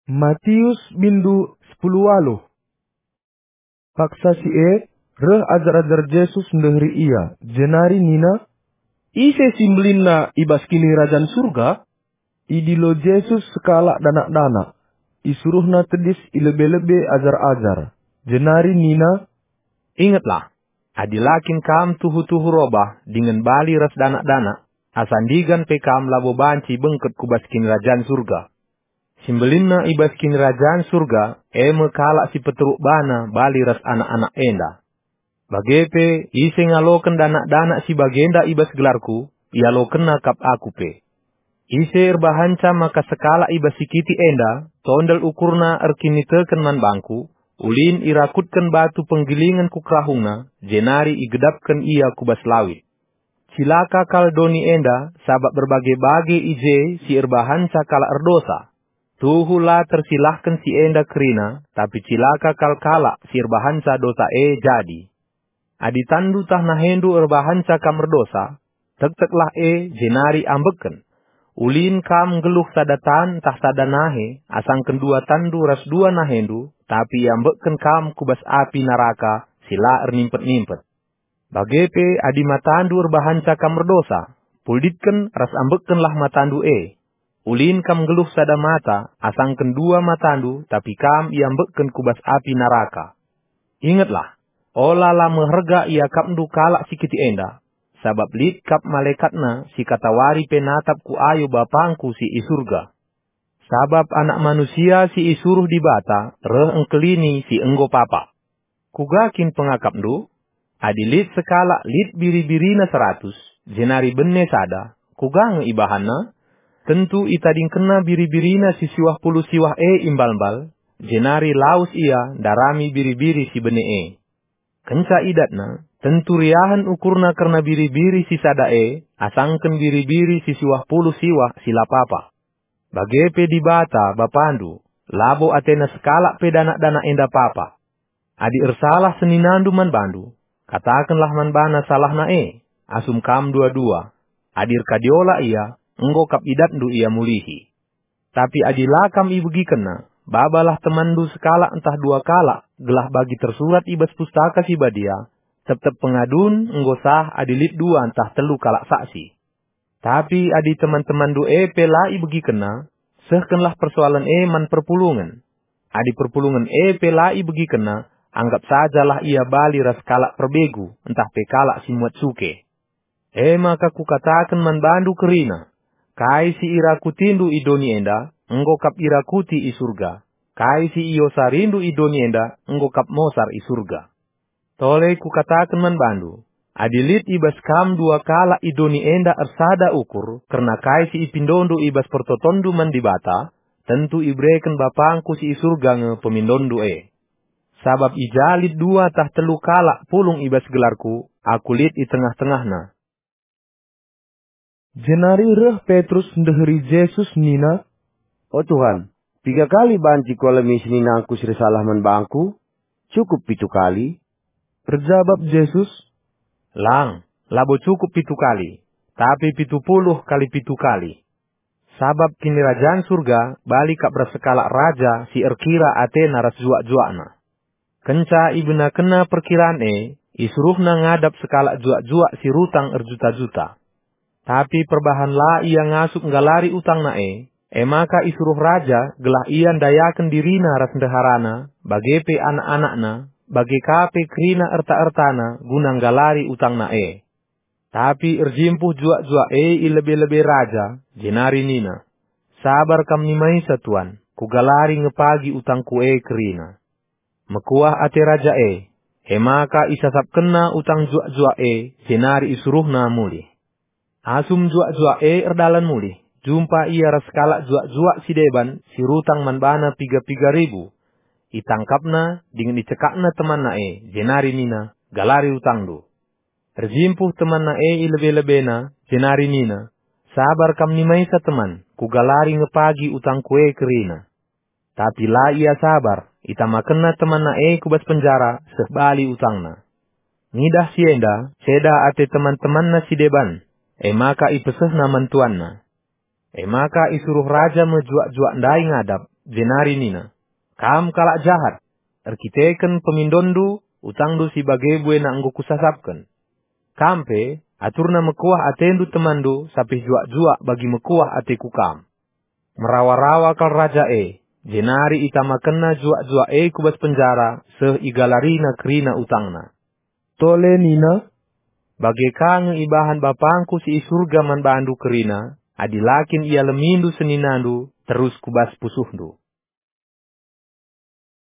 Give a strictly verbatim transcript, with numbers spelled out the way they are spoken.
Matius bindu sepuluh waluh. Paksa si e, reh ajar-ajar Jesus ndeheri ia, jenari nina, "Ise si mbelinna i bas Kinirajan Surga?" Idilo Jesus sekalak danak-danak, isuruhna tedis i lebe-lebe ajar-ajar, jenari nina, "Ingetlah, adi la kin kam tuhu-tuhu robah dingen bali ras danak-danak, asa ndigan pe kam labo banci bengket ku bas Kinirajan Surga. Si mbelinna i bas Kinirajan Surga, e me kalak si peteruk bana bali ras anak-anak enda. Bage pe, ise ngaloken danak-danak si bagenda i bas gelarKu, ialokenna kap Aku pe. Ise erbahanca maka sekalak i bas si kitik enda tondel ukurna erkiniteken man bangKu, ulin irakutken batu penggelingen ku kerahungna, jenari igedapken ia ku bas lawit. Cilaka kal doni enda, sabap erbage-bage i je si erbahanca kalak erdosa. Tuhu la tersilahken si enda kerina, tapi cilaka kal kalak si erbahanca dosa e jadi. Adi tanndu tah nahendu erbahanca kam erdosa, tekteklah e, jenari ambekken. Ulin kam nggeluh sada tan ntah sada nahe, asangken dua tanndu ras dua nahendu, tapi iambekken kam ku bas api naraka si la ernimpet-nimpet. Bage pe, adi matandu erbahanca kam erdosa, pulditken ras ambekkenlah matandu e. Ulin kam nggeluh sada mata, asangken dua matandu, tapi kam iambekken ku bas api naraka. Ingetlah, ola la meherga iakapndu kalak si kitik enda, sabap lit kap malaekatna si katawari pe natap ku ayo BapangKu si i Surga. Sabap Anak Manusia si isuruh Dibata reh engkelini si enggo papa. Kuga kin pengakapndu? Adi lit sekalak lit biri-birina seratus, jenari bene sada, kuga nge ibahanna? Tentu itadingkenna biri-birina si siwah puluh siwah e i mbal-mbal, jenari lawes ia ndarami biri-biri si bene e. Kenca idatna, tentu riahen ukurna kerna biri-biri si sada e, asangken biri-biri si siwah puluh siwah si la papa. Bage pe Dibata, Bapandu, labo atena sekalak pe danak-danak enda papa. Adi ersalah seninandu man bandu, katakenlah man bana salahna e, asum kam dua-dua. Adi erkadiola ia, enggo kap idatndu ia mulihi. Tapi adi la kam ibegikenna, babalah temanndu sekalak ntah dua kalak, gelah bagi tersurat i bas Pustaka Si Badia, "Tep-tep pengadun enggo sah adi lit dua ntah telu kalak saksi." Tapi adi teman-temanndu e pe la ibegikenna, sehkenlah persoalen e man perpulungen. Adi perpulungen e pe la ibegikenna, anggap sajalah ia bali ras kalak perbegu ntah pe kalak si muat suke. E maka kukataken man bandu kerina, kai si irakutindu i doni enda, enggo kap irakuti i Surga. Kai si iosarindu i doni enda, enggo kap mosar i Surga. Tole kukataken man bandu, adi lit i bas kam dua kalak i doni enda ersada ukur kerna kai si ipindondu i bas pertotonndu man Dibata, tentu ibereken BapangKu si i Surga nge pemindonndu e. Sabap i ja lit dua tah telu kalak pulung i bas gelarKu, Aku lit i tengah-tengahna. Jenari reh Petrus ndeheri Jesus nina, "O Tuhan, piga kali banci kualemi seninangku si ersalah man bangku? Cukup pitu kali?" Erjabap Jesus, "Lang, labo cukup pitu kali, tapi pitu puluh kali pitu kali. Sabap Kinirajan Surga bali kap ras sekalak raja si erkira atena ras juak-juakna." Kenca ibenakenna perkiran e, isuruhna ngadap sekalak juak-juak si rutang erjuta-juta. Tapi perbahan la ia ngasup nggalari utangna e, e maka isuruh raja gelah ia ndayaken dirina ras ndeharana, bage pe anak-anakna, bage ka pe kerina erta-ertana guna nggalari utangna e. Tapi erjimpuh juak-juak e i lebe-lebe raja, jenari nina, "Sabar kam nimaisa, tuan, kugalari nge pagi utangku e kerina." Mekuah ate raja e, e maka isasapkenna utang juak-juak e, jenari isuruhna mulih. Asum juak-juak e erdalan mulih, jumpa ia ras kalak juak-juak si deban si rutang man bana piga-piga ribu. Itangkapna dingen icekakna temanna e, jenari nina, "Galari utangndu." Erjimpuh temanna e i lebe-lebena, jenari nina, "Sabar kam nimaisa, teman, kugalari nge pagi utangku e kerina." Tapi la ia sabar, itamakenna temanna e ku bas penjara seh bali utangna. Ngidah si enda, ceda ate teman-temanna si deban, e maka ipesehna man tuanna. E maka isuruh raja me juak-juak ndai ngadap, jenari nina, 'Kam kalak jahat! Erkiteken pemindonndu, utangndu si bage buena enggo kusasapken. Kam pe, aturna mekuah atendu temanndu, sapih juak-juak bagi mekuah ateku kam.' Merawa-rawa kal raja e, jenari itamakenna juak-juak e ku bas penjara seh igalarina kerina utangna. Tole nina, 'Bage ka nge ibahan Bapangku si i Surga man bandu kerina, adi la kin ialemindu seninandu terus ku bas pusuhndu.'